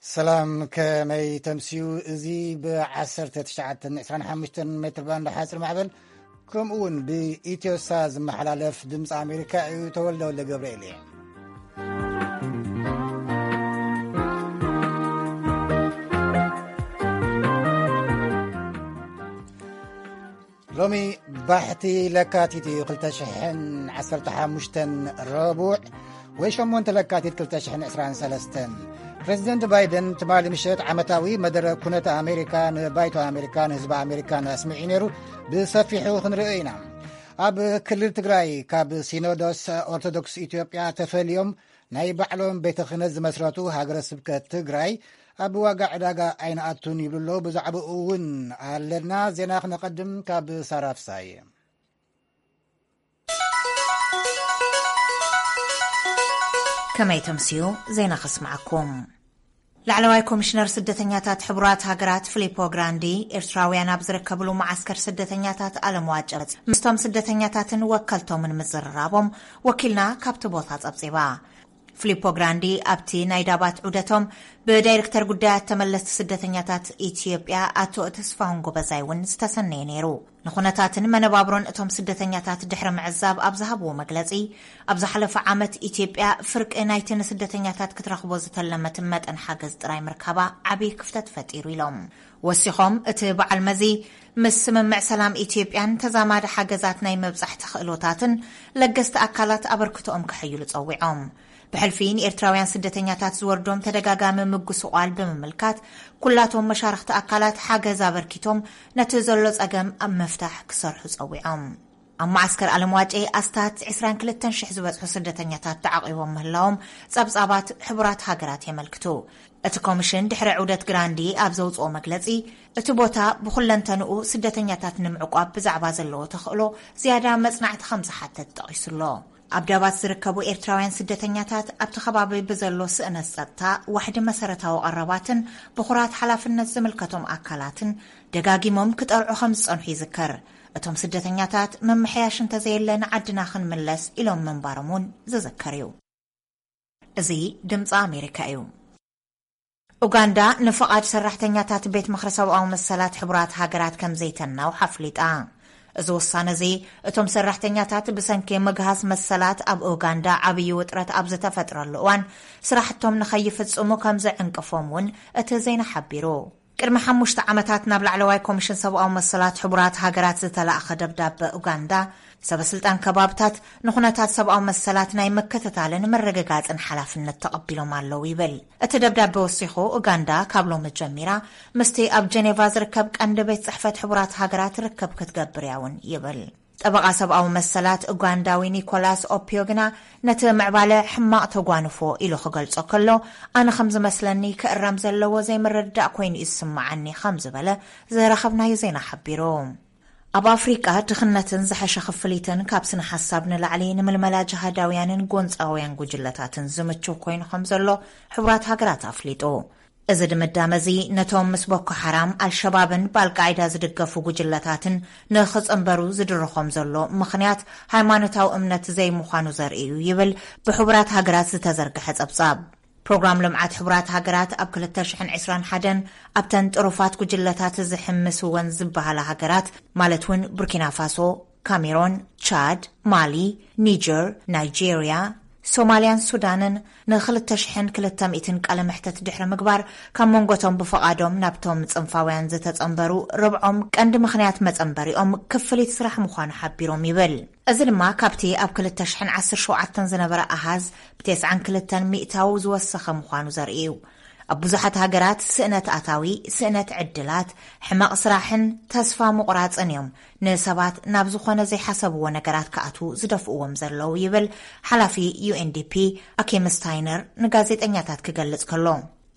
ሰላም፣ ከመይ ተምስዩ? እዚ ብ1925 ሜትር ባንድ ሓፂር ማዕበል ከምኡ እውን ብኢትዮሳ ዝመሓላለፍ ድምፂ ኣሜሪካ እዩ። ተወልደ ወልደ ገብርኤል እየ። ሎሚ ባሕቲ ለካቲት እዩ፣ 2015 ረቡዕ ወይ 8 ለካቲት 2023። ፕሬዚደንት ባይደን ትማሊ ምሸት ዓመታዊ መደረ ኩነተ ኣሜሪካ ንባይቶ ኣሜሪካን ህዝቢ ኣሜሪካን ኣስሚዑ ነይሩ። ብሰፊሑ ክንርእዮ ኢና። ኣብ ክልል ትግራይ ካብ ሲኖዶስ ኦርቶዶክስ ኢትዮጵያ ተፈልዮም ናይ ባዕሎም ቤተ ክህነት ዝመስረቱ ሃገረ ስብከት ትግራይ ኣብ ዋጋ ዕዳጋ ኣይንኣቱን ይብሉ ኣለዉ። ብዛዕባኡ እውን ኣለና ዜና። ክነቐድም ካብ ሳራ ፍሳየ። ከመይ ተምስዩ? ዜና ከስምዓኩም። ላዕለዋይ ኮሚሽነር ስደተኛታት ሕቡራት ሃገራት ፊሊፖ ግራንዲ፣ ኤርትራውያን ኣብ ዝርከብሉ መዓስከር ስደተኛታት ኣለምዋጨ ምስቶም ስደተኛታትን ወከልቶምን ምዝርራቦም ወኪልና ካብቲ ቦታ ጸብጺባ። ፊሊፖ ግራንዲ ኣብቲ ናይ ዳባት ዑደቶም ብዳይሬክተር ጉዳያት ተመለስቲ ስደተኛታት ኢትዮጵያ ኣቶ ተስፋሁን ጎበዛይ እውን ዝተሰነየ ነይሩ። ንኹነታትን መነባብሮን እቶም ስደተኛታት ድሕሪ ምዕዛብ ኣብ ዝሃብዎ መግለጺ፣ ኣብ ዝሓለፈ ዓመት ኢትዮጵያ ፍርቂ ናይቲ ንስደተኛታት ክትረኽቦ ዝተለመት መጠን ሓገዝ ጥራይ ምርካባ ዓብዪ ክፍተት ፈጢሩ ኢሎም። ወሲኾም፣ እቲ በዓል መዚ ምስ ስምምዕ ሰላም ኢትዮጵያን ተዛማዲ ሓገዛት ናይ መብጻሕቲ ክእሎታትን ለገስቲ ኣካላት ኣበርክቶኦም ከሐይሉ ጸዊዖም። ብሕልፊ ንኤርትራውያን ስደተኛታት ዝወርዶም ተደጋጋሚ ምጉስቋል ብምምልካት፣ ኩላቶም መሻርኽቲ ኣካላት ሓገዝ ኣበርኪቶም ነቲ ዘሎ ጸገም ኣብ ምፍታሕ ክሰርሑ ጸዊዖም። ኣብ መዓስከር ኣለምዋጨ ኣስታት 22,000 ዝበጽሑ ስደተኛታት ተዓቒቦም ምህላዎም ጸብጻባት ሕቡራት ሃገራት የመልክቱ። እቲ ኮሚሽን ድሕሪ ዑደት ግራንዲ ኣብ ዘውጽኦ መግለጺ፣ እቲ ቦታ ብኹለንተንኡ ስደተኛታት ንምዕቋብ ብዛዕባ ዘለዎ ተኽእሎ ዝያዳ መጽናዕቲ ከም ዝሓተት ጠቒሱ ኣሎ። ኣብ ዳባት ዝርከቡ ኤርትራውያን ስደተኛታት ኣብቲ ከባቢ ብዘሎ ስእነት ጸጥታ፣ ዋሕዲ መሰረታዊ ቀረባትን ብኹራት ሓላፍነት ዝምልከቶም ኣካላትን ደጋጊሞም ክጠርዑ ከም ዝጸንሑ ይዝከር። እቶም ስደተኛታት፣ ምምሕያሽ እንተዘየለ ንዓድና ክንምለስ ኢሎም ምንባሮም እውን ዝዝከር እዩ። እዚ ድምፂ ኣሜሪካ እዩ። ኡጋንዳ ንፍቓድ ሰራሕተኛታት ቤት ምኽሪ ሰብኣዊ መሰላት ሕቡራት ሃገራት ከም ዘይተናውሕ ኣፍሊጣ። እዚ ውሳነ እዚ፣ እቶም ሰራሕተኛታት ብሰንኪ ምግሃስ መሰላት ኣብ ኡጋንዳ ዓብዪ ውጥረት ኣብ ዝተፈጥረሉ እዋን፣ ስራሕቶም ንኸይፍጽሙ ከም ዘዕንቅፎም እውን እቲ ዜና ሓቢሩ። ቅድሚ ሓሙሽተ ዓመታት ናብ ላዕለዋይ ኮሚሽን ሰብኣዊ መሰላት ሕቡራት ሃገራት ዝተላእኸ ደብዳበ ኡጋንዳ፣ ሰበ ስልጣን ከባብታት ንኹነታት ሰብኣዊ መሰላት ናይ ምክትታልን ምርግጋጽን ሓላፍነት ተቐቢሎም ኣለዉ ይብል። እቲ ደብዳበ ወሲኹ፣ ኡጋንዳ ካብ ሎሚ ጀሚራ ምስቲ ኣብ ጀኔቫ ዝርከብ ቀንዲ ቤት ጽሕፈት ሕቡራት ሃገራት ርክብ ክትገብር እያ እውን ይብል። ጠበቓ ሰብኣዊ መሰላት ኡጋንዳዊ ኒኮላስ ኦፒዮ ግና ነቲ ምዕባለ ሕማቕ ተጓንፎ ኢሉ ክገልጾ ከሎ፣ ኣነ ከም ዝመስለኒ ክእረም ዘለዎ ዘይምርድዳእ ኮይኑ እዩ ዝስምዓኒ ከም ዝበለ ዝረኸብናዮ ዜና ሓቢሩ። ኣብ ኣፍሪቃ ድኽነትን ዝሐሸ ክፍሊትን ካብ ስነ ሓሳብ ንላዕሊ ንምልመላ ጅሃዳውያንን ጎንጻውያን ጉጅለታትን ዝምችው ኮይኑ ከም ዘሎ ሕቡራት ሃገራት ኣፍሊጡ። እዚ ድምዳመ እዚ ነቶም ምስ ቦኮ ሓራም፣ ኣልሸባብን ብኣልቃዒዳ ዝድገፉ ጉጅለታትን ንኽጽንበሩ ዝድርኾም ዘሎ ምኽንያት ሃይማኖታዊ እምነት ዘይምዃኑ ዘርኢ እዩ ይብል ብሕቡራት ሃገራት ዝተዘርግሐ ጸብጻብ። ፕሮግራም ልምዓት ሕቡራት ሃገራት ኣብ 2021 ኣብተን ጥሩፋት ጉጅለታት ዝሕምስወን ዝበሃላ ሃገራት፣ ማለት እውን ቡርኪና ፋሶ፣ ካሜሮን፣ ቻድ፣ ማሊ፣ ኒጀር፣ ናይጄርያ፣ ሶማልያን ሱዳንን ን2,200 ቃለ መሕተት ድሕሪ ምግባር፣ ካብ መንጎቶም ብፍቓዶም ናብቶም ጽንፋውያን ዝተጸንበሩ ርብዖም ቀንዲ ምኽንያት መጸንበሪኦም ክፍሊት ስራሕ ምዃኑ ሓቢሮም ይብል። እዚ ድማ ካብቲ ኣብ 2017 ዝነበረ ኣሃዝ ብ92% ዝወሰኸ ምዃኑ ዘርኢ እዩ። ኣብ ብዙሓት ሃገራት ስእነት ኣታዊ፣ ስእነት ዕድላት፣ ሕመቕ ስራሕን ተስፋ ምቑራጽን እዮም ንሰባት ናብ ዝኾነ ዘይሓሰብዎ ነገራት ክኣትዉ ዝደፍእዎም ዘለዉ ይብል ሓላፊ ዩ ኤን ዲ ፒ ኣኪም ስታይነር ንጋዜጠኛታት ክገልጽ ከሎ።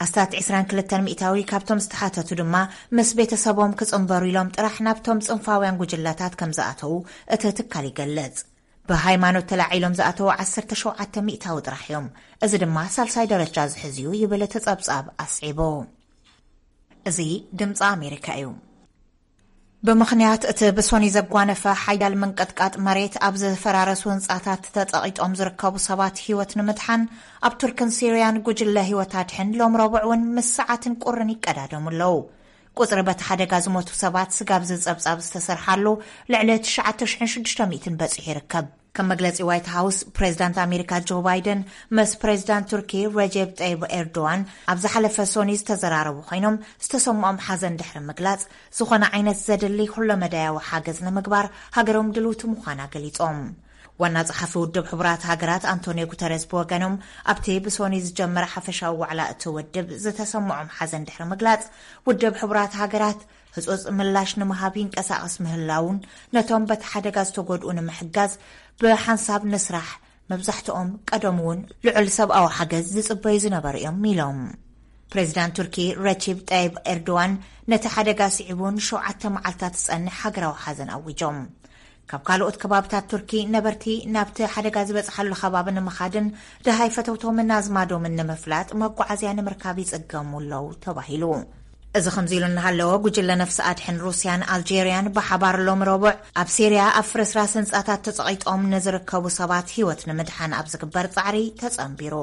ኣስታት 22% ካብቶም ዝተሓተቱ ድማ ምስ ቤተሰቦም ክጽንበሩ ኢሎም ጥራሕ ናብቶም ጽንፋውያን ጉጅለታት ከም ዝኣተዉ እቲ ትካል ይገልጽ። ብሃይማኖት ተላዒሎም ዝኣተዉ 17% ጥራሕ እዮም። እዚ ድማ ሳልሳይ ደረጃ ዝሕዝ እዩ ይብል እቲ ጸብጻብ ኣስዒቡ። እዚ ድምፂ ኣሜሪካ እዩ። ብምኽንያት እቲ ብሶኒ ዘጓነፈ ሓያል ምንቅጥቃጥ መሬት፣ ኣብ ዝፈራረሱ ህንጻታት ተጸቒጦም ዝርከቡ ሰባት ህይወት ንምድሓን፣ ኣብ ቱርክን ሲርያን ጉጅለ ህይወት ኣድሕን ሎም ረቡዕ እውን ምስ ሰዓትን ቁርን ይቀዳደሙ ኣለዉ። ቁጽሪ በቲ ሓደጋ ዝሞቱ ሰባት ስጋብ ዝጸብጻብ ዝተሰርሓሉ ልዕሊ ትሽዓተ ሽሕን ሽዱሽተ ሚእትን በጺሑ ይርከብ። ከም መግለጺ ዋይት ሃውስ፣ ፕሬዚዳንት ኣሜሪካ ጆ ባይደን ምስ ፕሬዚዳንት ቱርኪ ረጀብ ጠይብ ኤርዶዋን ኣብ ዝሓለፈ ሶኒ ዝተዘራረቡ ኮይኖም፣ ዝተሰምዖም ሓዘን ድሕሪ ምግላጽ፣ ዝኾነ ዓይነት ዘድሊ ኩለመዳያዊ ሓገዝ ንምግባር ሃገሮም ድልውቲ ምዃና ገሊጾም። ዋና ጸሓፊ ውድብ ሕቡራት ሃገራት ኣንቶኒዮ ጉተረስ ብወገኖም፣ ኣብቲ ብሶኒ ዝጀመረ ሓፈሻዊ ዋዕላ እቲ ውድብ ዝተሰምዖም ሓዘን ድሕሪ ምግላጽ፣ ውድብ ሕቡራት ሃገራት ህጹጽ ምላሽ ንምሃብ ይንቀሳቐስ ምህላውን፣ ነቶም በቲ ሓደጋ ዝተጎድኡ ንምሕጋዝ ብሓንሳብ ንስራሕ፣ መብዛሕትኦም ቀደም እውን ልዑል ሰብኣዊ ሓገዝ ዝጽበዩ ዝነበሩ እዮም ኢሎም። ፕሬዚዳንት ቱርኪ ረቺብ ጠይብ ኤርዶዋን ነቲ ሓደጋ ስዒቡ ንሸውዓተ መዓልታት ዝጸንሕ ሃገራዊ ሓዘን ኣዊጆም። ካብ ካልኦት ከባብታት ቱርኪ ነበርቲ ናብቲ ሓደጋ ዝበጽሓሉ ከባቢ ንምኻድን ደሃይ ፈተውቶምን ኣዝማዶምን ንምፍላጥ መጓዓዝያ ንምርካብ ይጽገሙ ኣለዉ ተባሂሉ። እዚ ከምዚ ኢሉ እናሃለወ፣ ጉጅለ ነፍሲ ኣድሕን ሩስያን ኣልጄርያን ብሓባር ሎም ረቡዕ ኣብ ሲርያ ኣብ ፍርስራስ ህንጻታት ተጸቒጦም ንዝርከቡ ሰባት ህይወት ንምድሓን ኣብ ዝግበር ጻዕሪ ተጸንቢሩ።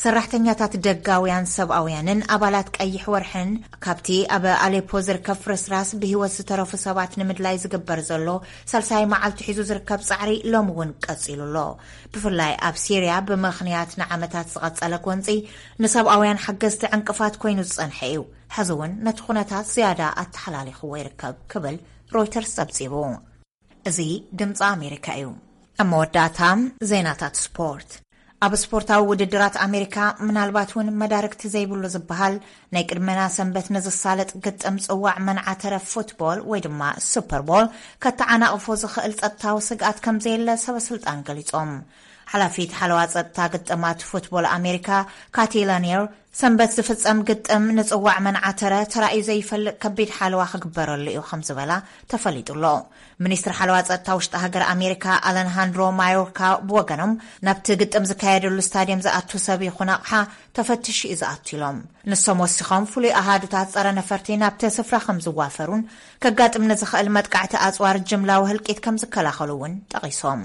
ሰራሕተኛታት ደጋውያን ሰብኣውያንን ኣባላት ቀይሕ ወርሕን ካብቲ ኣብ ኣሌፖ ዝርከብ ፍርስራስ ብህይወት ዝተረፉ ሰባት ንምድላይ ዝግበር ዘሎ ሳልሳይ መዓልቲ ሒዙ ዝርከብ ጻዕሪ ሎም እውን ቀጺሉ ኣሎ። ብፍላይ ኣብ ሲርያ ብምኽንያት ንዓመታት ዝቐጸለ ጎንጺ ንሰብኣውያን ሓገዝቲ ዕንቅፋት ኮይኑ ዝጸንሐ እዩ። ሕዚ እውን ነቲ ኩነታት ዝያዳ ኣተሓላሊኽዎ ይርከብ ክብል ሮይተርስ ጸብጺቡ። እዚ ድምፂ ኣሜሪካ እዩ። ኣብ መወዳእታ ዜናታት ስፖርት። ኣብ ስፖርታዊ ውድድራት ኣሜሪካ ምናልባት እውን መዳርግቲ ዘይብሉ ዝበሃል ናይ ቅድመና ሰንበት ንዝሳለጥ ግጥም ጽዋዕ መንዓተረ ፉትቦል ወይ ድማ ሱፐርቦል ከተዓናቕፎ ዝኽእል ጸጥታዊ ስግኣት ከም ዘየለ ሰበ ስልጣን ገሊጾም። ሓላፊት ሓለዋ ጸጥታ ግጥማት ፉትቦል ኣሜሪካ ካቲ ላኒየር ሰንበት ዝፍጸም ግጥም ንጽዋዕ መንዓተረ ተራእዩ ዘይፈልጥ ከቢድ ሓለዋ ክግበረሉ እዩ ከም ዝበላ ተፈሊጡ ኣሎ። ሚኒስትር ሓለዋ ጸጥታ ውሽጢ ሃገር ኣሜሪካ ኣለንሃንድሮ ማዮርካ ብወገኖም ናብቲ ግጥም ዝካየደሉ ስታድየም ዝኣቱ ሰብ ይኹን ኣቕሓ ተፈትሹ እዩ ዝኣቱ ኢሎም። ንሶም ወሲኾም ፍሉይ ኣሃዱታት ጸረ ነፈርቲ ናብቲ ስፍራ ከም ዝዋፈሩን ከጋጥም ንዝኽእል መጥቃዕቲ ኣጽዋር ጅምላዊ ህልቂት ከም ዝከላኸሉ እውን ጠቒሶም።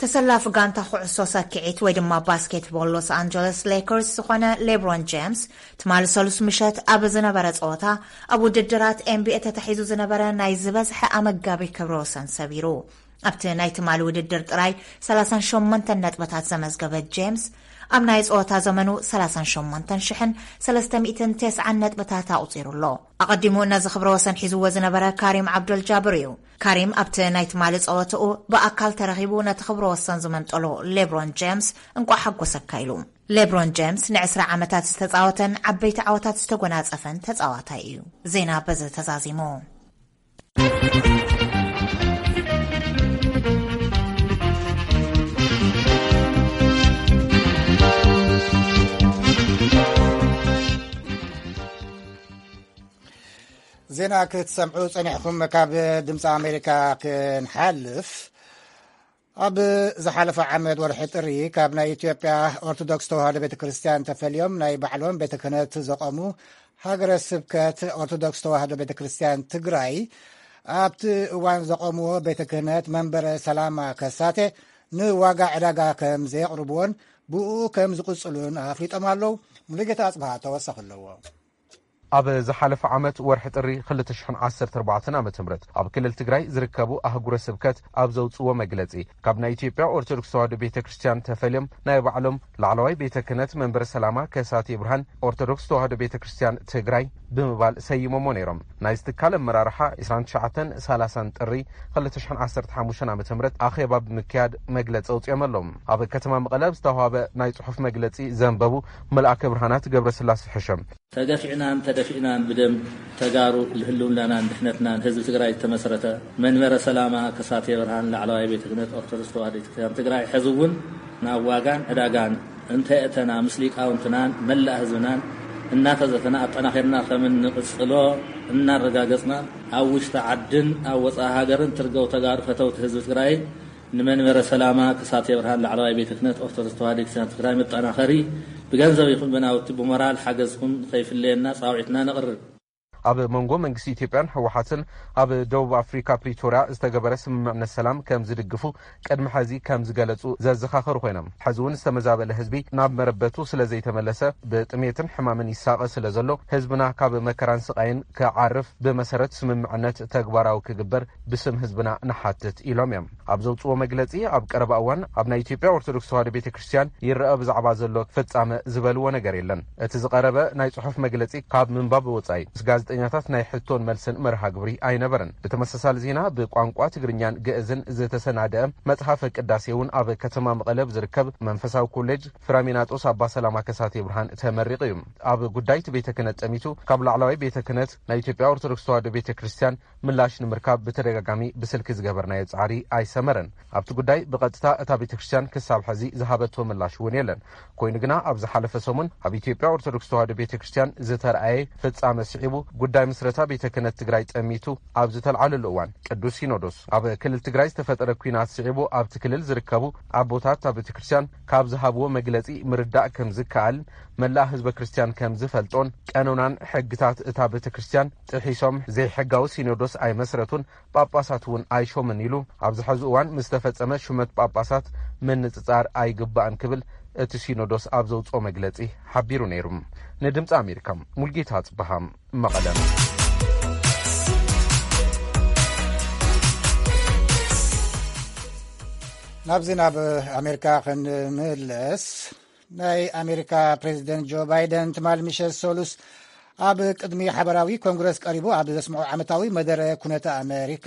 ተሰላፊ ጋንታ ኩዕሶ ሰኪዒት ወይ ድማ ባስኬትቦል ሎስ ኣንጀለስ ሌከርስ ዝኾነ ሌብሮን ጄምስ ትማሊ ሰሉስ ምሸት ኣብ ዝነበረ ጸወታ ኣብ ውድድራት ኤንቢኤ ተታሒዙ ዝነበረ ናይ ዝበዝሐ ኣመጋቢ ክብረ ወሰን ሰቢሩ። ኣብቲ ናይ ትማሊ ውድድር ጥራይ ሰላሳን ሸሞንተን ነጥብታት ዘመዝገበ ጄምስ ኣብ ናይ ጸወታ ዘመኑ ሰላሳን ሸሞንተን ሽሕን ሰለስተ ሚእትን ተስዓን ነጥብታት ኣቑጺሩ ኣሎ። ኣቐዲሙ ነዚ ክብረ ወሰን ሒዝዎ ዝነበረ ካሪም ዓብዶል ጃብር እዩ። ካሪም ኣብቲ ናይ ትማሊ ጸወትኡ ብኣካል ተረኺቡ ነቲ ክብረ ወሰን ዝመንጠሎ ሌብሮን ጄምስ እንቋዕ ሓጎሰካ ኢሉ። ሌብሮን ጄምስ ንዕስራ ዓመታት ዝተጻወተን ዓበይቲ ዓወታት ዝተጎናጸፈን ተጻዋታይ እዩ። ዜና በዚ ተዛዚሙ። ዜና ክትሰምዑ ጸኒሕኩም ካብ ድምፂ ኣሜሪካ ክንሓልፍ፣ ኣብ ዝሓለፈ ዓመት ወርሒ ጥሪ ካብ ናይ ኢትዮጵያ ኦርቶዶክስ ተዋህዶ ቤተ ክርስቲያን ተፈልዮም ናይ ባዕሎም ቤተ ክህነት ዘቐሙ ሃገረ ስብከት ኦርቶዶክስ ተዋህዶ ቤተ ክርስቲያን ትግራይ ኣብቲ እዋን ዘቐምዎ ቤተ ክህነት መንበረ ሰላማ ከሳቴ ንዋጋ ዕዳጋ ከም ዘየቕርብዎን ብኡ ከም ዝቕጽሉን ኣፍሊጦም ኣለዉ። ሙሉጌታ ኣጽብሃ ተወሳኺ ኣለዎ። ኣብ ዝሓለፈ ዓመት ወርሒ ጥሪ ክልተ ሽሕን ዓሰርተ ኣርባዕተን ዓመተ ምህረት ኣብ ክልል ትግራይ ዝርከቡ ኣህጉረ ስብከት ኣብ ዘውፅዎ መግለፂ፣ ካብ ናይ ኢትዮጵያ ኦርቶዶክስ ተዋህዶ ቤተ ክርስቲያን ተፈልዮም ናይ ባዕሎም ላዕለዋይ ቤተ ክህነት መንበረ ሰላማ ከሳቴ ብርሃን ኦርቶዶክስ ተዋህዶ ቤተ ክርስቲያን ትግራይ ብምባል ሰይሞሞ ነይሮም። ናይዚ ትካል ኣመራርሓ ዕስራን ትሽዓተን ሰላሳን ጥሪ ክልተ ሽሕን ዓሰርተ ሓሙሽተን ዓመተ ምህረት ኣኼባ ብምክያድ መግለፂ ኣውፂኦም ኣለዉ። ኣብ ከተማ መቐለ ኣብ ዝተዋሃበ ናይ ፅሑፍ መግለፂ ዘንበቡ መልኣከ ብርሃናት ገብረስላሴ ሕሸም፣ ተገፊዕናን ተደፊእናን ብደም ተጋሩ ንህልውናናን ድሕነትናን ህዝቢ ትግራይ ዝተመስረተ መንበረ ሰላማ ከሳቴ ብርሃን ላዕለዋይ ቤተ ክህነት ኦርቶዶክስ ተዋህዶ ቤተክርስትያን ትግራይ፣ ሕዚ እውን ናብ ዋጋን ዕዳጋን እንተየእተና፣ ምስ ሊቃውንትናን መላእ ህዝብናን እናተዘተና ኣጠናኺርና ከም እንቕጽሎ እናረጋገጽና፣ ኣብ ውሽጢ ዓድን ኣብ ወጻኢ ሃገርን ትርገው ተጋሩ ፈተውቲ ህዝቢ ትግራይ ንመንበረ ሰላማ ከሳቴ ብርሃን ላዕለዋይ ቤተ ክህነት ኦርቶዶክስ ተዋህዶ ቤተክርስትያን ትግራይ መጠናኸሪ ብገንዘብ ይኹን ብናውቲ ብሞራል ሓገዝኩም ከይፍለየና ጻውዒትና ነቕርብ። ኣብ መንጎ መንግስቲ ኢትዮጵያን ህወሓትን ኣብ ደቡብ ኣፍሪካ ፕሪቶርያ ዝተገበረ ስምምዕነት ሰላም ከም ዝድግፉ ቅድሚ ሕዚ ከም ዝገለጹ ዘዘኻኸሩ ኮይኖም፣ ሕዚ እውን ዝተመዛበለ ህዝቢ ናብ መረበቱ ስለ ዘይተመለሰ ብጥሜትን ሕማምን ይሳቐ ስለ ዘሎ ህዝብና ካብ መከራን ስቓይን ክዓርፍ ብመሰረት ስምምዕነት ተግባራዊ ክግበር ብስም ህዝብና ንሓትት ኢሎም እዮም። ኣብ ዘውፅዎ መግለፂ ኣብ ቀረባ እዋን ኣብ ናይ ኢትዮጵያ ኦርቶዶክስ ተዋሕዶ ቤተ ክርስቲያን ይረአ ብዛዕባ ዘሎ ፍጻመ ዝበልዎ ነገር የለን። እቲ ዝቐረበ ናይ ጽሑፍ መግለፂ ካብ ምንባብ ወጻኢ ምስ ጋዜጠኛታት ናይ ሕቶን መልስን መርሃ ግብሪ ኣይነበረን። ብተመሳሳሊ ዜና ብቋንቋ ትግርኛን ግእዝን ዝተሰናደአ መጽሓፈ ቅዳሴ እውን ኣብ ከተማ መቐለ ብዝርከብ መንፈሳዊ ኮሌጅ ፍራሚናጦስ ኣባ ሰላማ ከሳቴ ብርሃን ተመሪቑ እዩ። ኣብ ጉዳይ እቲ ቤተ ክህነት ጠሚቱ ካብ ላዕለዋይ ቤተ ክህነት ናይ ኢትዮጵያ ኦርቶዶክስ ተዋሕዶ ቤተ ክርስቲያን ምላሽ ንምርካብ ብተደጋጋሚ ብስልኪ ዝገበርናዮ ጻዕሪ ኣይሰመረን። ኣብቲ ጉዳይ ብቐጥታ እታ ቤተ ክርስቲያን ክሳብ ሕዚ ዝሃበቶ ምላሽ እውን የለን። ኮይኑ ግና ኣብ ዝሓለፈ ሰሙን ኣብ ኢትዮጵያ ኦርቶዶክስ ተዋሕዶ ቤተ ክርስቲያን ዝተረኣየ ፍጻመ ስዒቡ ጉዳይ ምስረታ ቤተ ክህነት ትግራይ ጠሚቱ ኣብ ዝተልዓለሉ እዋን ቅዱስ ሲኖዶስ ኣብ ክልል ትግራይ ዝተፈጠረ ኲናት ስዒቡ ኣብቲ ክልል ዝርከቡ ኣቦታት እታ ቤተ ክርስቲያን ካብ ዝሃብዎ መግለጺ ምርዳእ ከም ዝከኣል መላእ ህዝበ ክርስቲያን ከም ዝፈልጦን ቀኖናን ሕግታት እታ ቤተ ክርስቲያን ጥሒሶም ዘይሕጋዊ ሲኖዶስ ኣይመስረቱን ጳጳሳት እውን ኣይሾምን ኢሉ ኣብዚ ሕዚ እዋን ምስ ተፈጸመ ሹመት ጳጳሳት ምንጽጻር ኣይግባእን ክብል እቲ ሲኖዶስ ኣብ ዘውፅኦ መግለጺ ሓቢሩ ነይሩ። ንድምፂ ኣሜሪካ ሙልጌታ ጽበሃ መቐለ። ናብዚ ናብ ኣሜሪካ ክንምለስ ናይ ኣሜሪካ ፕሬዚደንት ጆ ባይደን ትማል ምሸት ሰሉስ ኣብ ቅድሚ ሓበራዊ ኮንግረስ ቀሪቡ ኣብ ዘስምዖ ዓመታዊ መደረ ኩነተ ኣሜሪካ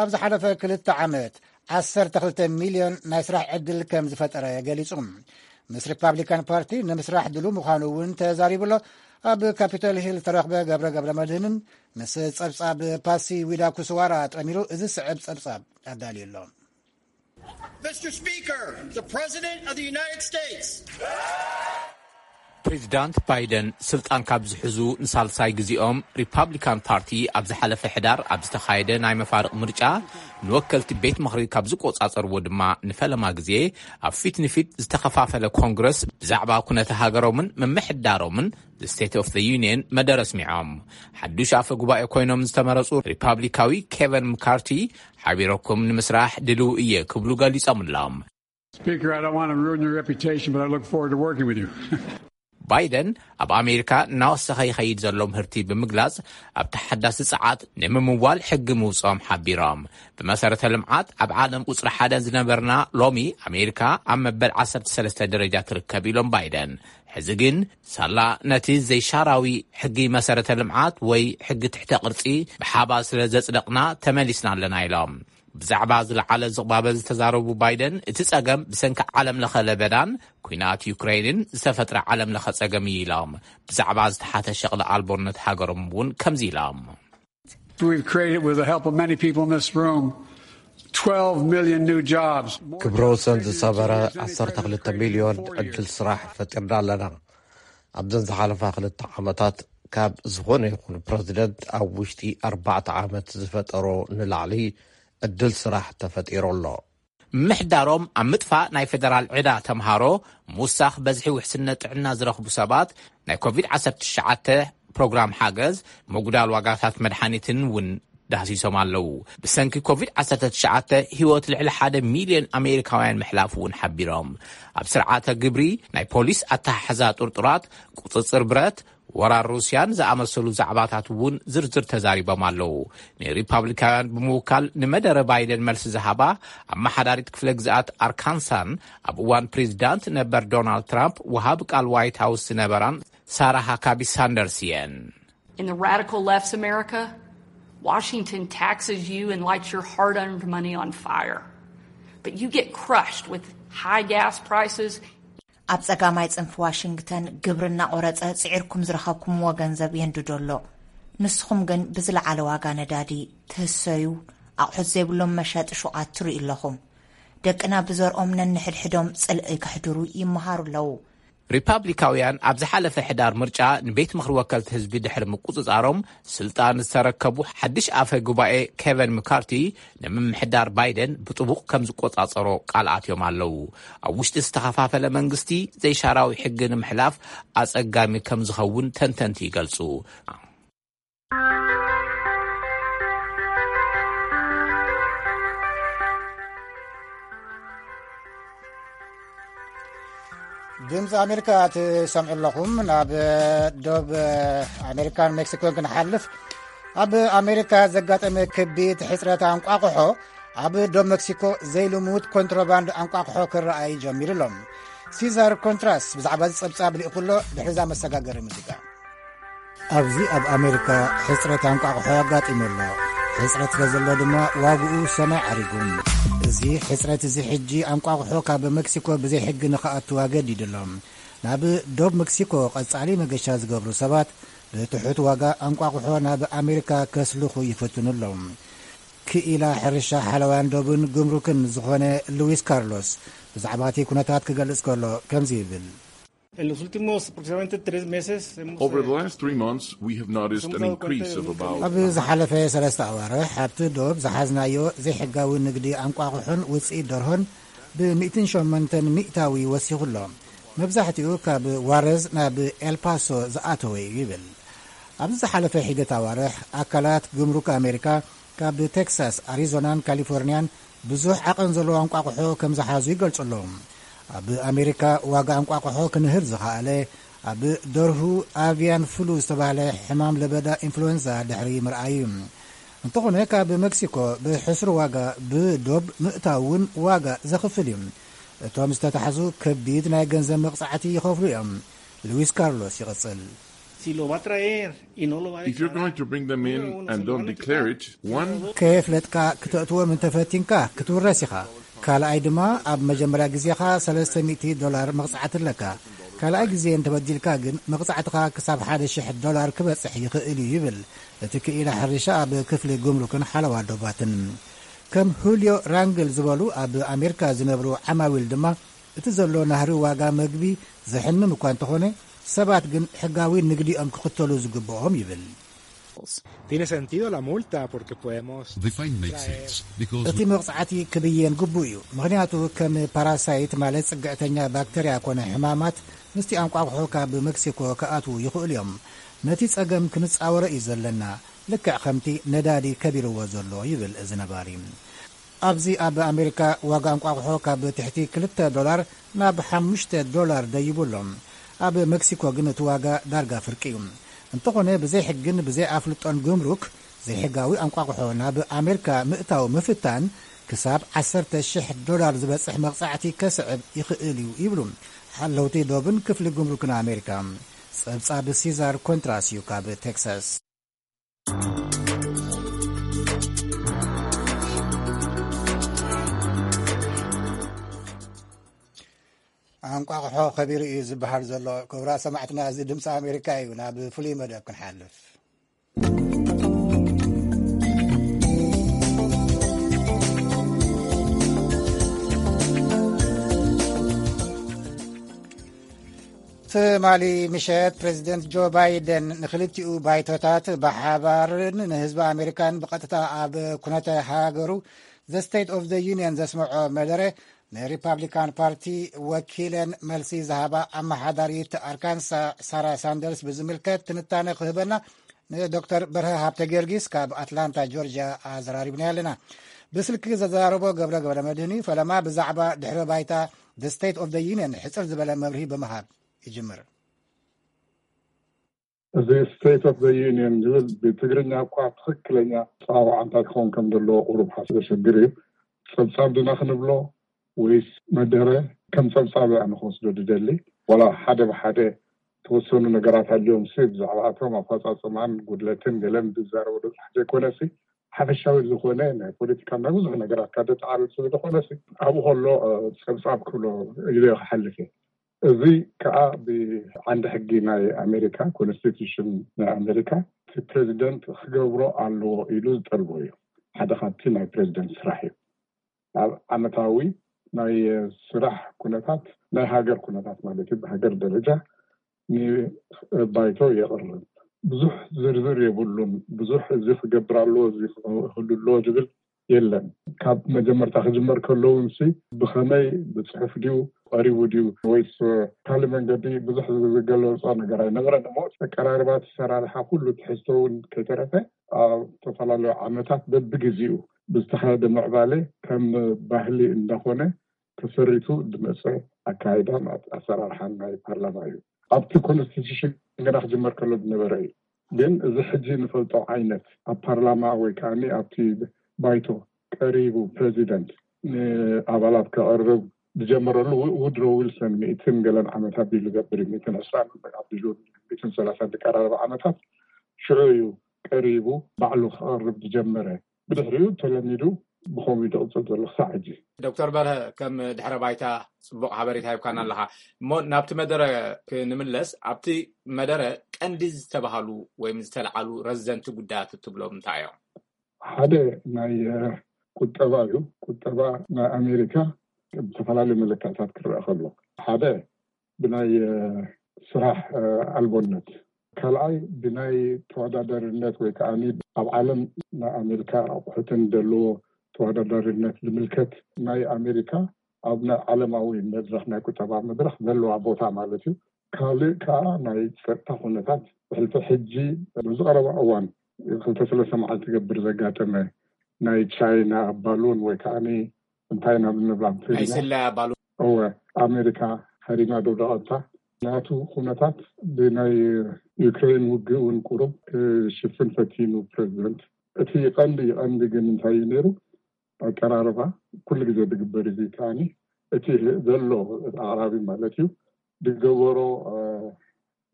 ኣብ ዝሓለፈ ክልተ ዓመት ዓሰርተ ክልተ ሚልዮን ናይ ስራሕ ዕድል ከም ዝፈጠረ ገሊጹ። ምስ ሪፓብሊካን ፓርቲ ንምስራሕ ድሉ ምዃኑ እውን ተዛሪቡ ኣሎ። ኣብ ካፒቶል ሂል ዝተረኽበ ገብረ ገብረ መድህንን ምስ ጸብጻብ ፓሲ ዊዳ ኩስዋራ ጠሚሩ እዚ ስዕብ ጸብጻብ ኣዳልዩ ኣሎ። Mister Speaker, the President of the United States. ፕሬዚዳንት ባይደን ስልጣን ካብ ዝሕዙ ንሳልሳይ ግዜኦም ሪፓብሊካን ፓርቲ ኣብ ዝሓለፈ ሕዳር ኣብ ዝተኻየደ ናይ መፋርቕ ምርጫ ንወከልቲ ቤት ምኽሪ ካብ ዝቆጻጸርዎ ድማ ንፈለማ ግዜ ኣብ ፊት ንፊት ዝተኸፋፈለ ኮንግረስ ብዛዕባ ኩነተ ሃገሮምን ምምሕዳሮምን ስቴት ኦፍ ዩኒየን መደረ ኣስሚዖም። ሓዱሽ ኣፈ ጉባኤ ኮይኖም ዝተመረጹ ሪፓብሊካዊ ኬቨን ምካርቲ ሓቢረኩም ንምስራሕ ድልው እየ ክብሉ ገሊጾም ኣለዉ። Speaker, I don't want to ruin your reputation, but I look forward to working with you. ባይደን ኣብ ኣሜሪካ እናወሰኸ ይኸይድ ዘሎ ምህርቲ ብምግላጽ ኣብ ተሓዳሲ ጸዓት ንምምዋል ሕጊ ምውጽኦም ሓቢሮም። ብመሰረተ ልምዓት ኣብ ዓለም ቁጽሪ ሓደ ዝነበርና ሎሚ ኣሜሪካ ኣብ መበል ዓሰርተ ሰለስተ ደረጃ ትርከብ ኢሎም ባይደን። ሕዚ ግን ሳላ ነቲ ዘይሻራዊ ሕጊ መሰረተ ልምዓት ወይ ሕጊ ትሕተ ቅርጺ ብሓባር ስለ ዘጽደቕና ተመሊስና ኣለና ኢሎም። ብዛዕባ ዝለዓለ ዝቕባበ ዝተዛረቡ ባይደን እቲ ጸገም ብሰንኪ ዓለም ለኸ ለበዳን ኲናት ዩክሬንን ዝተፈጥረ ዓለም ለኸ ጸገም እዩ ኢሎም። ብዛዕባ ዝተሓተ ሸቕሊ ኣልቦነት ሃገሮም እውን ከምዚ ኢሎም። We've created, with the help of many people in this room, twelve million new jobs. ክብረ ወሰን ዝሰበረ ዓሰርተ ክልተ ሚልዮን ዕድል ስራሕ ፈጢርና ኣለና። ኣብዘን ዝሓለፋ ክልተ ዓመታት ካብ ዝኾነ ይኹን ፕረዚደንት ኣብ ውሽጢ ኣርባዕተ ዓመት ዝፈጠሮ ንላዕሊ ዕድል ስራሕ ተፈጢሩ ኣሎ። ምምሕዳሮም ኣብ ምጥፋእ ናይ ፌደራል ዕዳ ተምሃሮ፣ ምውሳኽ በዝሒ ውሕስነት ጥዕና ዝረኽቡ ሰባት፣ ናይ ኮቪድ ዓሰርተ ትሽዓተ ፕሮግራም ሓገዝ፣ ምጉዳል ዋጋታት መድሓኒትን እውን ዳህሲሶም ኣለዉ። ብሰንኪ ኮቪድ ዓሰርተ ትሽዓተ ህይወት ልዕሊ ሓደ ሚልዮን ኣሜሪካውያን ምሕላፉ እውን ሓቢሮም። ኣብ ስርዓተ ግብሪ፣ ናይ ፖሊስ ኣተሓሕዛ ጥርጡራት፣ ቁጽጽር ብረት፣ ወራር ሩስያን ዝኣመሰሉ ዛዕባታት እውን ዝርዝር ተዛሪቦም ኣለዉ። ንሪፓብሊካውያን ብምውካል ንመደረ ባይደን መልሲ ዝሃባ ኣመሓዳሪት ክፍለ ግዝኣት ኣርካንሳን ኣብ እዋን ፕሬዚዳንት ነበር ዶናልድ ትራምፕ ወሃቢ ቃል ዋይት ሃውስ ዝነበራን ሳራ ሃካቢ ሳንደርስ እየን። In the radical left's America, Washington taxes you and lights your hard earned money on fire. But you get crushed with high gas prices. ኣብ ጸጋማይ ጽንፊ ዋሽንግተን ግብሪ እናቖረጸ ጽዒርኩም ዝረኸብኩምዎ ገንዘብ የንድዶ ኣሎ። ንስኹም ግን ብዝለዓለ ዋጋ ነዳዲ ትህሰዩ፣ ኣቑሑት ዘይብሎም መሸጢ ሹቓት ትርእዩ ኣለኹም። ደቅና ብዘርኦም ነንሕድሕዶም ጽልኢ ከሕድሩ ይመሃሩ ኣለዉ። ሪፓብሊካውያን ኣብ ዝሓለፈ ሕዳር ምርጫ ንቤት ምኽሪ ወከልቲ ህዝቢ ድሕሪ ምቁጽጻሮም ስልጣን ዝተረከቡ ሓድሽ ኣፈ ጉባኤ ኬቨን ምካርቲ ንምምሕዳር ባይደን ብጥቡቕ ከም ዝቆጻጸሮ ቃል ኣትዮም ኣለዉ። ኣብ ውሽጢ ዝተኸፋፈለ መንግስቲ ዘይሻራዊ ሕጊ ንምሕላፍ ኣጸጋሚ ከም ዝኸውን ተንተንቲ ይገልጹ። ድምፂ ኣሜሪካ ትሰምዑ ኣለኹም። ናብ ዶብ ኣሜሪካን ሜክሲኮን ክንሓልፍ፣ ኣብ ኣሜሪካ ዘጋጠመ ከቢድ ሕፅረት ኣንቋቑሖ ኣብ ዶብ ሜክሲኮ ዘይልሙድ ኮንትሮባንድ ኣንቋቑሖ ክረኣይ ጀሚሩ ኣሎ። ሲዛር ኮንትራስ ብዛዕባ እዚ ፀብፃብ ልኢኹ ኣሎ። ድሕሪዛ መሰጋገሪ ሙዚቃ። ኣብዚ ኣብ ኣሜሪካ ሕፅረት ኣንቋቑሖ ኣጋጢሙ ኣሎ። ሕፅረት ስለ ዘሎ ድማ ዋግኡ ሰማይ ዓሪጉ። እዚ ሕፅረት እዚ ሕጂ ኣንቋቑሖ ካብ ሜክሲኮ ብዘይ ሕጊ ንኽኣቱ ኣገዲዱ ኣሎ። ናብ ዶብ ሜክሲኮ ቀጻሊ መገሻ ዝገብሩ ሰባት ብትሑት ዋጋ ኣንቋቑሖ ናብ ኣሜሪካ ከስልኹ ይፍትኑ ኣለዉ። ክኢላ ሕርሻ ሓለዋን ዶብን ግምሩክን ዝኾነ ሉዊስ ካርሎስ ብዛዕባ እቲ ኩነታት ክገልጽ ከሎ ከምዚ ይብል። En los últimos aproximadamente tres meses hemos... Over the eh, last three months, we have noticed an increase of about... ኣብ ዝሓለፈ ሰለስተ ኣዋርሕ ኣብቲ ዶብ ዝሓዝናዮ ዘይሕጋዊ ንግዲ ኣንቋቑሖን ውፅኢት ደርሆን ብሚእትን ሸሞንተን ሚእታዊ ወሲኹ ኣሎ። መብዛሕትኡ ካብ ዋረዝ ናብ ኤልፓሶ ዝኣተወ እዩ ይብል። ኣብዚ ዝሓለፈ ሒደት ኣዋርሕ ኣካላት ግምሩክ ኣሜሪካ ካብ ቴክሳስ፣ ኣሪዞናን ካሊፎርኒያን ብዙሕ ዓቐን ዘለዎ ኣንቋቑሖ ከም ዝሓዙ ይገልጹ ኣለዉ። ኣብ ኣሜሪካ ዋጋ ኣንቋቑሖ ክንህር ዝኸኣለ ኣብ ደርሁ ኣቪያን ፍሉ ዝተባህለ ሕማም ለበዳ ኢንፍሉዌንዛ ድሕሪ ምርኣዩ። እንተኾነ ካብ ሜክሲኮ ብሕሱር ዋጋ ብዶብ ምእታው እውን ዋጋ ዘኽፍል እዩ። እቶም ዝተታሕዙ ከቢድ ናይ ገንዘብ መቕጻዕቲ ይኸፍሉ እዮም። ሉዊስ ካርሎስ ይቕጽል። Si lo va a traer y no lo va a declarar, if you're going to bring them in and don't declare it, one... ከየፍለጥካ ክተእትዎም እንተፈቲንካ ክትውረስ ኢኻ። ካልኣይ ድማ ኣብ መጀመርያ ግዜኻ ሰለስተ ሚእቲ ዶላር መቕጻዕቲ ኣለካ። ካልኣይ ግዜ እንተበዲልካ ግን መቕጻዕትኻ ክሳብ ሓደ ሽሕ ዶላር ክበጽሕ ይኽእል እዩ ይብል እቲ ክኢላ ሕርሻ ኣብ ክፍሊ ጉምሩክን ሓለዋ ዶባትን። ከም ሁልዮ ራንግል ዝበሉ ኣብ ኣሜሪካ ዝነብሩ ዓማዊል ድማ እቲ ዘሎ ናህሪ ዋጋ መግቢ ዘሕምም እኳ እንተኾነ ሰባት ግን ሕጋዊ ንግዲኦም ክኽተሉ ዝግብኦም ይብል። Tiene sentido la multa porque podemos... The fine makes sense because እቲ መቕጻዕቲ ክብየን ግቡእ እዩ። ምኽንያቱ ከም ፓራሳይት ማለት ጽግዕተኛ ባክተርያ ኮነ ሕማማት ምስቲ ኣንቋቑሖ ካብ ሜክሲኮ ክኣትዉ ይኽእሉ እዮም። ነቲ ጸገም ክንጻወሮ እዩ ዘለና፣ ልክዕ ከምቲ ነዳዲ ከቢርዎ ዘሎ ይብል እዚ ነባሪ። ኣብዚ ኣብ ኣሜሪካ ዋጋ እንቋቑሖ ካብ ትሕቲ ክልተ ዶላር ናብ ሓሙሽተ ዶላር ደይቡ ኣሎ። ኣብ ሜክሲኮ ግን እቲ ዋጋ ዳርጋ ፍርቂ እዩ። እንተኾነ ብዘይ ሕግን ብዘይ ኣፍልጦን ጉምሩክ ዘይሕጋዊ ኣንቋቑሖ ናብ ኣሜሪካ ምእታው ምፍታን ክሳብ ዓሰርተ ሽሕ ዶላር ዝበጽሕ መቕጻዕቲ ከስዕብ ይኽእል እዩ ይብሉ ሓለውቲ ዶብን ክፍሊ ጉምሩክን ኣሜሪካ። ጸብጻብ ሲዛር ኮንትራስ እዩ ካብ ቴክሳስ። ኣንቋቑሖ ከቢሩ እዩ ዝበሃል ዘሎ። ክቡራት ሰማዕትና፣ እዚ ድምፂ ኣሜሪካ እዩ። ናብ ፍሉይ መደብ ክንሓልፍ። ትማሊ ምሸት ፕሬዚደንት ጆ ባይደን ንክልቲኡ ባይቶታት ብሓባርን ንህዝቢ ኣሜሪካን ብቐጥታ ኣብ ኩነተ ሃገሩ The State of the Union ዘስምዖ መደረ ንሪፓብሊካን ፓርቲ ወኪለን መልሲ ዝሃባ ኣመሓዳሪት ኣርካንሳ ሳራ ሳንደርስ ብዝምልከት ትንታነ ክህበና ንዶክተር በርሀ ሃብተ ጊዮርጊስ ካብ ኣትላንታ ጆርጂያ ኣዘራሪብና ኣለና። ብስልኪ ዘዘራረቦ ገብረ ገብረ መድህን እዩ። ፈለማ ብዛዕባ ድሕረ ባይታ The State of the Union ሕፅር ዝበለ መብርሂ ብምሃብ ይጅምር። እዚ State of the Union ዝብል ብትግርኛ እኳ ትኽክለኛ ኣፀዋውዓ እንታይ ክኸውን ከም ዘለዎ ቁሩብ ሓስ ዘሸግር እዩ። ፀብፃብ ድና ክንብሎ ወይስ መደረ? ከም ፀብፃብ ኣነ ክወስዶ ዝደሊ። ዋላ ሓደ ብሓደ ተወሰኑ ነገራት ኣልዮም ሲ ብዛዕባ እቶም ኣፈፃፅማን ጉድለትን ገለን ዝዛረበ በዝሕ ዘይኮነ ሲ ሓፈሻዊ ዝኾነ ናይ ፖለቲካ ናይ ብዙሕ ነገራት ካብ ዘጠዓልል ስለ ዝኾነ ሲ ኣብኡ ከሎ ፀብፃብ ክብሎ ኢሉ ክሓልፍ እየ። እዚ ከዓ ብዓንዲ ሕጊ ናይ ኣሜሪካ፣ ኮንስቲቱሽን ናይ ኣሜሪካ እቲ ፕሬዚደንት ክገብሮ ኣለዎ ኢሉ ዝጠልቦ እዩ። ሓደ ካብቲ ናይ ፕሬዚደንት ስራሕ እዩ። ኣብ ዓመታዊ ናይ ስራሕ ኩነታት ናይ ሃገር ኩነታት ማለት እዩ፣ ብሃገር ደረጃ ንባይቶ የቕርብ። ብዙሕ ዝርዝር የብሉን። ብዙሕ እዚ ክገብር ኣለዎ፣ እዚ ክህሉ ኣለዎ ዝብል የለን። ካብ መጀመርታ ክጅመር ከሎ እውን ሲ ብኸመይ፣ ብፅሑፍ ድዩ ቀሪቡ ድዩ ወይስ ካልእ መንገዲ፣ ብዙሕ ዝገለፆ ነገር ኣይነበረን። እሞ ኣቀራርባ፣ ኣሰራርሓ፣ ኩሉ ትሕዝቶ እውን ከይተረፈ ኣብ ዝተፈላለዩ ዓመታት በብግዜኡ ብዝተኻየደ ምዕባለ ከም ባህሊ እንዳኾነ ተሰሪቱ ዝመፀ ኣካይዳን ኣሰራርሓን ናይ ፓርላማ እዩ። ኣብቲ ኮንስቲቱሽን ገና ክጅመር ከሎ ዝነበረ እዩ። ግን እዚ ሕጂ ንፈልጦ ዓይነት ኣብ ፓርላማ ወይ ከዓ ኣብቲ ባይቶ ቀሪቡ ፕሬዚደንት ንኣባላት ከቕርብ ዝጀመረሉ ውድሮ ዊልሰን ሚእትን ገለን ዓመት ኣቢሉ ገብር ሚእትን ዕስራን ኣቢሉ ሚእትን ሰላሳን ዝቀራረበ ዓመታት ሽዑ እዩ ቀሪቡ ባዕሉ ክቐርብ ዝጀመረ። ብድሕሪኡ ተለሚዱ ብኸምኡ ይቕፅል ዘሎ ክሳዕ ሕጂ። ዶክተር በርሀ፣ ከም ድሕረ ባይታ ፅቡቕ ሓበሬታ ሂብካና ኣለኻ። እሞ ናብቲ መደረ ክንምለስ፣ ኣብቲ መደረ ቀንዲ ዝተባሃሉ ወይም ዝተለዓሉ ረዘንቲ ጉዳያት እትብሎም እንታይ እዮም? ሓደ ናይ ቁጠባ እዩ። ቁጠባ ናይ ኣሜሪካ ብዝተፈላለዩ መለክዕታት ክረአ ከሎ፣ ሓደ ብናይ ስራሕ ኣልቦነት፣ ካልኣይ ብናይ ተወዳዳሪነት ወይ ከዓ ኣብ ዓለም ናይ ኣሜሪካ ኣቑሑትን ዘለዎ ተወዳዳሪነት ዝምልከት ናይ ኣሜሪካ ኣብ ናይ ዓለማዊ መድረክ ናይ ቁጠባ መድረክ ዘለዋ ቦታ ማለት እዩ። ካልእ ከዓ ናይ ፀጥታ ኩነታት ብሕልፊ ሕጂ ብዝቀረባ እዋን ክልተ ሰለስተ መዓልቲ ገብር ዘጋጠመ ናይ ቻይና ባሉን ወይ ከዓ እንታይ ኢና ብንብላ ናይ ስለያ ባሉን። እወ፣ ኣሜሪካ ሃሪማ ደውደቐታ ናቱ ኩነታት ብናይ ዩክሬን ውግእ እውን ቁሩብ ክሽፍን ፈቲኑ ፕሬዚደንት። እቲ ቀንዲ ቀንዲ ግን እንታይ እዩ ነይሩ? ኣቀራርባ ኩሉ ግዜ ዝግበር እዚ ከዓኒ እቲ ዘሎ ኣቕራቢ ማለት እዩ ዝገበሮ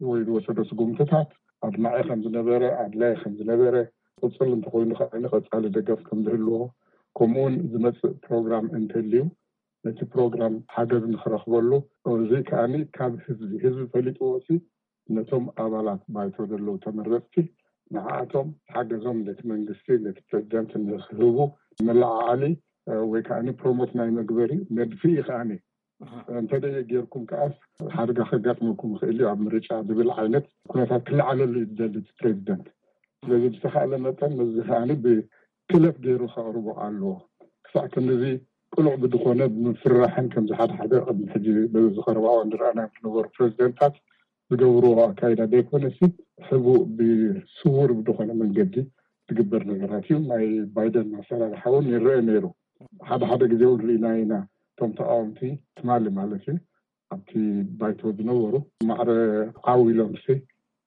ወይ ዝወሰዶ ስጉምትታት ኣድማዒ ከም ዝነበረ ኣድላይ ከም ዝነበረ ቅፅል እንተኮይኑ ከዓኒ ቀፃሊ ደገፍ ከም ዝህልዎ ከምኡውን ዝመፅእ ፕሮግራም እንተልዩ ነቲ ፕሮግራም ሓገዝ ንክረክበሉ እዚ ከዓኒ ካብ ህዝቢ ህዝቢ ፈሊጥዎ ሲ ነቶም ኣባላት ባይቶ ዘለዉ ተመረፅቲ ንዓኣቶም ሓገዞም ነቲ መንግስቲ ነቲ ፕሬዚደንት ንክህቡ መለዓዓሊ ወይ ከዓ ፕሮሞት ናይ መግበሪ መድፍኢ ከዓኒ እንተደየ ጌርኩም ከዓስ ሓደጋ ከጋጥመኩም ይኽእል እዩ ኣብ ምርጫ ዝብል ዓይነት ኩነታት ክለዓለሉ እዩ ዝደሊ እቲ ፕሬዚደንት። ስለዚ ብዝተኻእለ መጠን ነዚ ከዓኒ ብክለፍ ገይሩ ከቕርቦ ኣለዎ። ክሳዕ ክንዚ ቅሉዕ ብዝኾነ ብምፍርራሕን ከምዚ ሓደ ሓደ ቅድሚ ሕጂ በዚ ዝቐረባ እዋን ዝረኣናዮም ዝነበሩ ፕሬዚደንታት ዝገብርዎ ኣካይዳ ዘይኮነሲ ሕቡእ ብስውር ብዝኾነ መንገዲ ዝግበር ነገራት እዩ። ናይ ባይደን ኣሰራርሓ እውን ይረአ ነይሩ። ሓደ ሓደ ግዜ እውን ርኢና ኢና። እቶም ተቃወምቲ ትማሊ ማለት እዩ ኣብቲ ባይቶ ዝነበሩ ማዕረ ዓው ኢሎም ሲ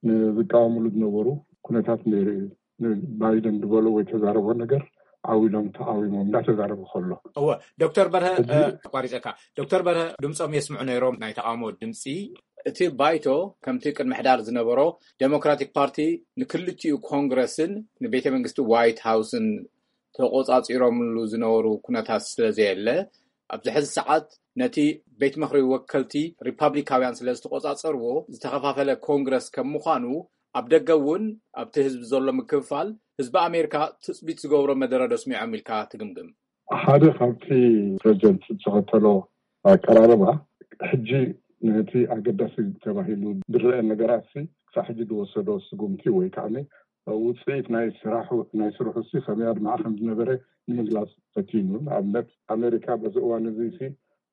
ንዝቃወምሉ ዝነበሩ ኩነታት ነይሩ እዩ። ንባይደን ዝበሎ ወይ ተዛረቦ ነገር ዓው ኢሎም ተቃዊሞም እንዳተዛረቡ ከሎ እወ ዶክተር በርሀ ሕጂ ኣቋሪፀካ ዶክተር በርሀ ድምፆም የስምዑ ነይሮም ናይ ተቃውሞ ድምፂ እቲ ባይቶ ከምቲ ቅድሚ ሕዳር ዝነበሮ ዴሞክራቲክ ፓርቲ ንክልቲኡ ኮንግረስን ንቤተ መንግስቲ ዋይት ሃውስን ተቆፃፂሮምሉ ዝነበሩ ኩነታት ስለዘየለ ኣብዚ ሕዚ ሰዓት ነቲ ቤት ምኽሪ ወከልቲ ሪፓብሊካውያን ስለ ዝተቆፃፀርዎ ዝተኸፋፈለ ኮንግረስ ከም ምዃኑ ኣብ ደገ እውን ኣብቲ ህዝቢ ዘሎ ምክፍፋል ህዝቢ ኣሜሪካ ትፅቢት ዝገብሮ መደረ ዶ ኣስሚዖም ኢልካ ትግምግም? ሓደ ካብቲ ፕሬዚደንት ዝተኸተሎ ኣቀራርባ ሕጂ ነቲ ኣገዳሲ ተባሂሉ ዝረአ ነገራት ክሳብ ሕጂ ዝወሰዶ ስጉምቲ ወይ ከዓ ውፅኢት ናይ ስራሕ ናይ ስርሑ ሲ ከመይ ኣድማዕ ከም ዝነበረ ንምግላፅ ፈቲኑ። ንኣብነት ኣሜሪካ በዚ እዋን እዚ ሲ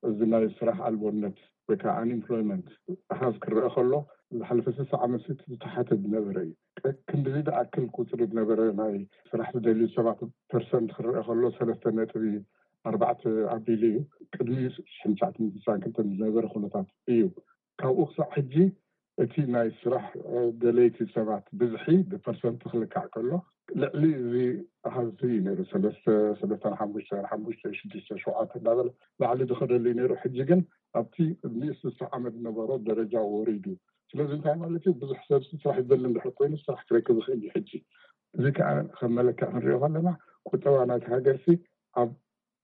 እዚ ናይ ስራሕ ኣልቦነት ወይ ከዓ ኣንኤምፕሎይመንት ኣሃዝ ክረአ ከሎ ዝሓለፈ ስሳ ዓመት ሲ ዝተሓተ ዝነበረ እዩ። ክንድዚ ዝኣክል ቁፅሪ ዝነበረ ናይ ስራሕ ዝደልዩ ሰባት ፐርሰንት ክረአ ከሎ ሰለስተ ነጥቢ ኣርባዕተ ኣቢሉ እዩ። ቅድሚ ሽሕን ትሽዓትን ስሳን ክልተን ዝነበረ ኩነታት እዩ። ካብኡ ክሳዕ ሕጂ እቲ ናይ ስራሕ ደለይቲ ሰባት ብዝሒ ብፐርሰንት ክልካዕ ከሎ ልዕሊ እዚ ኣሃዝ እዩ ነይሩ። ሰለስተ ሰለስተ ሓሙሽተ ሓሙሽተ ሽዱሽተ ሸውዓተ እንዳበለ ላዕሊ ዝኸደሉ እዩ ነይሩ። ሕጂ ግን ኣብቲ ቅድሚ ስሳ ዓመት ዝነበሮ ደረጃ ወሪዱ። ስለዚ እንታይ ማለት እዩ? ብዙሕ ሰብ ስራሕ ይደሊ እንድሕር ኮይኑ ስራሕ ክረክብ ይኽእል እዩ። ሕጂ እዚ ከዓ ከም መለክዕ ክንሪኦ ከለና ቁጠባ ናይቲ ሃገር ሲ ኣብ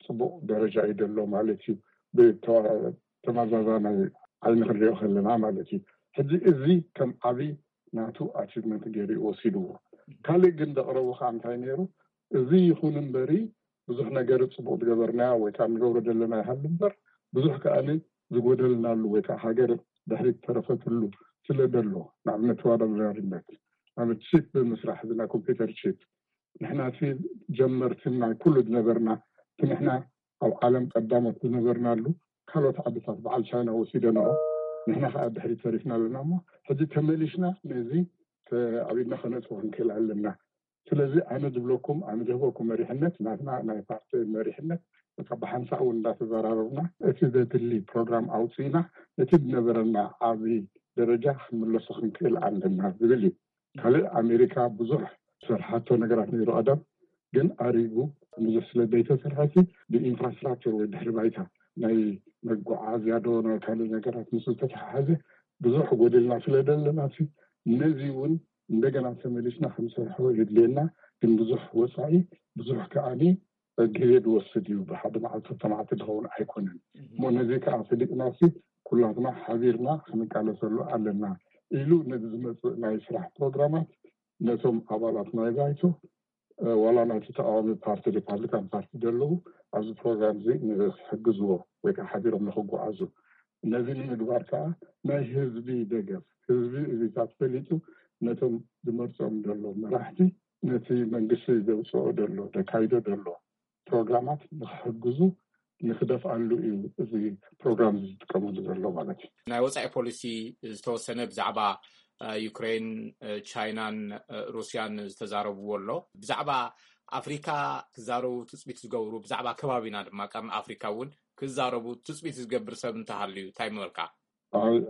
ፅቡቕ ደረጃ እዩ ዘሎ ማለት እዩ። ብተመዛዛናይ ዓይኒ ክንሪኦ ከለና ማለት እዩ። ሕዚ እዚ ከም ዓብይ ናቱ ኣቺቭመንት ገይሩ እዩ ወሲድዎ። ካልእ ግን ዘቕረቡ ከዓ እንታይ ነይሩ? እዚ ይኹን እምበሪ ብዙሕ ነገር ፅቡቕ ዝገበርናዮ ወይ ከዓ ንገብሮ ዘለና ይሃሉ እምበር ብዙሕ ከዓ ዝጎደልናሉ ወይ ከዓ ሃገር ድሕሪት ተረፈትሉ ስለ ዘሎ ንኣብነት ተወዳዳሪነት ንኣብነት ቺፕ ብምስራሕ እዚ ናይ ኮምፒውተር ቺፕ ንሕና እቲ ጀመርትን ናይ ኩሉ ዝነበርና እቲ ንሕና ኣብ ዓለም ቀዳሞት ዝነበርናሉ ካልኦት ዓድታት በዓል ቻይና ወሲደንኦ ንሕና ከዓ ድሕሪት ተሪፍና ኣለና እሞ ሕዚ ተመሊሽና ነዚ ኣብ ኢድና ከነእትዎ ክንክእል ኣለና። ስለዚ ኣነ ዝብለኩም ኣነ ዝህበኩም መሪሕነት ናትና ናይ ፓርቲ መሪሕነት በቃ ብሓንሳእ እውን እንዳተዘራረብና እቲ ዘድሊ ፕሮግራም ኣውፅእና ነቲ ዝነበረና ዓብዪ ደረጃ ክንምለሶ ክንክእል ኣለና ዝብል እዩ። ካልእ ኣሜሪካ ብዙሕ ዝሰርሓቶ ነገራት ነይሩ ቀደም፣ ግን ኣሪጉ ብዙሕ ስለ ዘይተሰርሐ እቲ ብኢንፍራስትራክቸር ወይ ድሕሪ ባይታ ናይ መጓዓዝያ ዶ ናይ ካልእ ነገራት ምስ ዝተተሓሓዘ ብዙሕ ጎዲልና ስለ ዘለና ነዚ እውን እንደገና ተመሊስና ክንሰርሖ የድልየና። ግን ብዙሕ ወፃኢ ብዙሕ ከዓኒ ግዜ ዝወስድ እዩ። ብሓደ መዓልቲ ክልተ መዓልቲ ዝኸውን ኣይኮነን። እሞ ነዚ ከዓ ፈሊጥና ኩላትና ሓቢርና ክንቃለሰሉ ኣለና ኢሉ ነዚ ዝመፅእ ናይ ስራሕ ፕሮግራማት ነቶም ኣባላት ናይ ባይቶ ዋላ ናይቲ ተቃዋሚ ፓርቲ ሪፓብሊካን ፓርቲ ዘለዉ ኣብዚ ፕሮግራም እዚ ንክሕግዝዎ ወይ ከዓ ሓቢሮም ንክጓዓዙ ነዚ ንምግባር ከዓ ናይ ህዝቢ ደገፍ ህዝቢ እዚታት ፈሊጡ ነቶም ዝመርፆም ዘሎ መራሕቲ ነቲ መንግስቲ ዘውፅኦ ዘሎ ዘካይዶ ዘሎ ፕሮግራማት ንክሕግዙ ንክደፍኣሉ እዩ እዚ ፕሮግራም ዝጥቀመሉ ዘሎ ማለት እዩ። ናይ ወፃኢ ፖሊሲ ዝተወሰነ ብዛዕባ ዩክሬን፣ ቻይናን ሩስያን ዝተዛረብዎ ኣሎ። ብዛዕባ ኣፍሪካ ክዛረቡ ትፅቢት ዝገብሩ፣ ብዛዕባ ከባቢና ድማ ቀርኒ ኣፍሪካ እውን ክዛረቡ ትፅቢት ዝገብር ሰብ እንተሃልዩ እንታይ ምበልካ?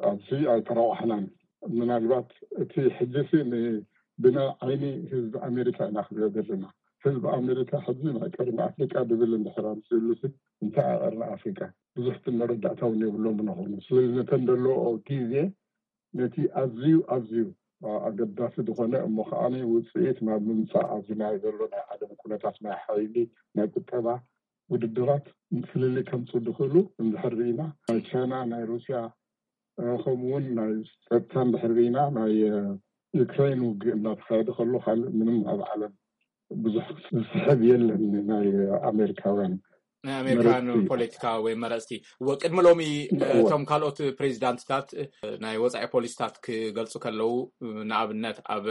ኣብዚ ኣይተረዋሕናን። ምናልባት እቲ ሕጂ ብናይ ዓይኒ ህዝቢ ኣሜሪካ ኢና ክሪኦ ዘለና። ህዝቢ ኣሜሪካ ሕዚ ናይ ቀርኒ ኣፍሪካ ድብል እንድሕር ኣምፅእሉ እንታይ ቀርኒ ኣፍሪካ ብዙሕ መረዳእታ እውን የብሎም ንኾኑ ስለዚ ነተን ዘለዎ ግዜ ነቲ ኣዝዩ ኣዝዩ ኣገዳሲ ዝኾነ እሞ ከዓ ውፅኢት ናብ ምምፃእ ኣብዚ ናይ ዘሎ ናይ ዓለም ኩነታት ናይ ሓይሊ ናይ ቁጠባ ውድድራት ፍልልይ ከምፁ ዝኽእሉ እንድሕር ርኢና ናይ ቻይና ናይ ሩስያ ከምኡ እውን ናይ ፀጥታ እንድሕር ርኢና ናይ ዩክሬን ውግእ እናተካየደ ከሎ ካልእ ምንም ኣብ ዓለም ብዙሕ ዝስሕብ የለን ናይ ኣሜሪካውያን ናይ ኣሜሪካን መረፅቲ። ፖለቲካ ወይ መረፅቲ ወቅድሚ ሎሚ እወ። እቶም ካልኦት ፕሬዚዳንትታት ናይ ወፃኢ ፖሊሲታት ክገልፁ ከለዉ ንኣብነት ኣብ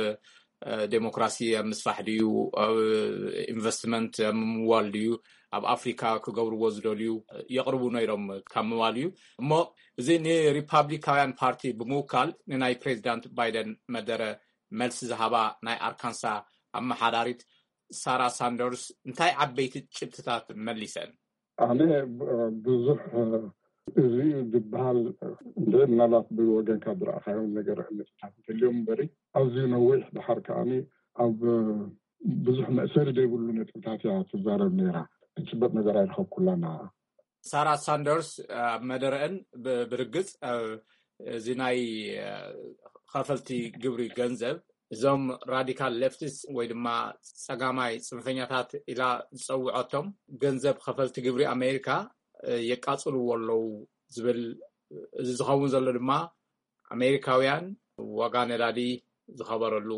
ዴሞክራሲ ኣብ ምስፋሕ ድዩ ኣብ ኢንቨስትመንት ኣብ ምምዋል ድዩ ኣብ ኣፍሪካ ክገብርዎ ዝደልዩ የቕርቡ ነይሮም ካብ ምባል እዩ እሞ እዚ ንሪፓብሊካውያን ፓርቲ ብምውካል ንናይ ፕሬዚዳንት ባይደን መደረ መልሲ ዝሃባ ናይ ኣርካንሳ ኣመሓዳሪት ሳራ ሳንደርስ እንታይ ዓበይቲ ጭብጥታት መሊሰን? ኣነ ብዙሕ እዚ ዝበሃል እንደ ምናልባት ብወገንካ ዝረኣኻዮም ነገር ነጥብታት እንተልዮም እምበሪ ኣዝዩ ነዊሕ ድሓር ከዓኒ ኣብ ብዙሕ መእሰሪ ዘይብሉ ነጥብታት እያ ትዛረብ ነይራ። ትጭበጥ ነገር ኣይረኸብኩላና። ሳራ ሳንደርስ ኣብ መደረአን ብርግፅ እዚ ናይ ከፈልቲ ግብሪ ገንዘብ እዞም ራዲካል ሌፍቲስ ወይ ድማ ፀጋማይ ፅንፈኛታት ኢላ ዝፀውዖቶም ገንዘብ ከፈልቲ ግብሪ ኣሜሪካ የቃፅልዎ ኣለዉ ዝብል እዚ ዝኸውን ዘሎ ድማ ኣሜሪካውያን ዋጋ ነዳዲ ዝኸበረሉ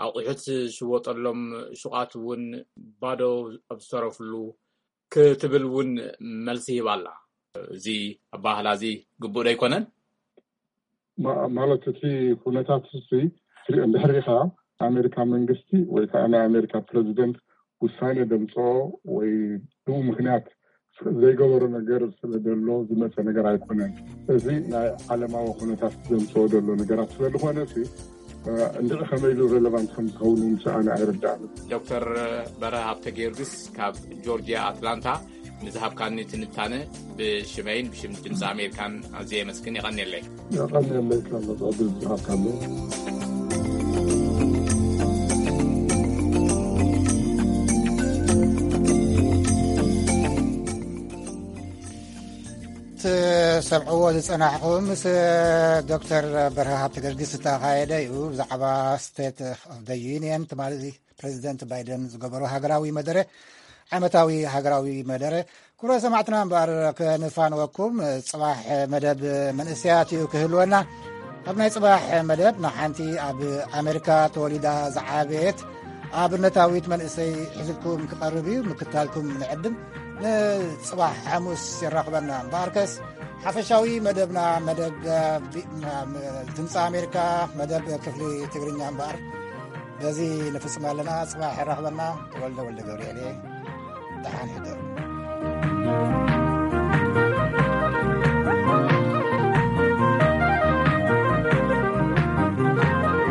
ኣቑሑት ዝሽወጠሎም ሹቓት እውን ባዶ ኣብ ዝተረፍሉ ክትብል እውን መልሲ ሂባ ኣላ። እዚ ኣባህላ እዚ ግቡእ ዶ ኣይኮነን? ማለት እቲ ኩነታት እ እንድሕር ሪኢኻ ኣሜሪካ መንግስቲ ወይ ከዓ ናይ ኣሜሪካ ፕረዚደንት ውሳኔ ደምፅኦ ወይ ብኡ ምክንያት ዘይገበሮ ነገር ስለ ዘሎ ዝመፀ ነገር ኣይኮነን። እዚ ናይ ዓለማዊ ኩነታት ዘምፅኦ ዘሎ ነገራት ስለዝኾነ እንድዒ ከመይ ኢሉ ሬሌቫንት ከምዝኸውን ምሳኣነ ኣይርዳእን። ዶክተር በረሃ ሃብተ ጊዮርጊስ ካብ ጆርጂያ ኣትላንታ ንዝሃብካኒ ትንታነ ብሽመይን ብሽም ድምፂ ኣሜሪካን ኣዝየ የመስግን። የቐንየለይ። የቐንየለይ ካብ መፅኦ ድምፂ ሃብካለይ። ትሰምዕዎ ዝፀናሕኹም ምስ ዶክተር በርሀ ሃብተ ጊዮርጊስ ዝተኻየደ እዩ። ብዛዕባ ስቴት ኦፍ ዩኒየን ትማሊ ፕሬዚደንት ባይደን ዝገበሮ ሃገራዊ መደረ ዓመታዊ ሃገራዊ መደረ። ክቡረ ሰማዕትና እምበኣር ከንፋንወኩም ፅባሕ መደብ መንእሰያት እዩ ክህልወና። ኣብ ናይ ፅባሕ መደብ ንሓንቲ ኣብ ኣሜሪካ ተወሊዳ ዝዓበየት ኣብነታዊት መንእሰይ ሒዝልኩም ክቐርብ እዩ። ምክታልኩም ንዕድም። ንፅባሕ ሓሙስ የራኽበና። እምበኣርከስ ሓፈሻዊ መደብና መደብ ድምፂ ኣሜሪካ መደብ ክፍሊ ትግርኛ እምበኣር በዚ ንፍፅም ኣለና። ፅባሕ የራኽበና። ተወልደ ወልደ ገብርኤል እየ። ደሓን ሕደሩ።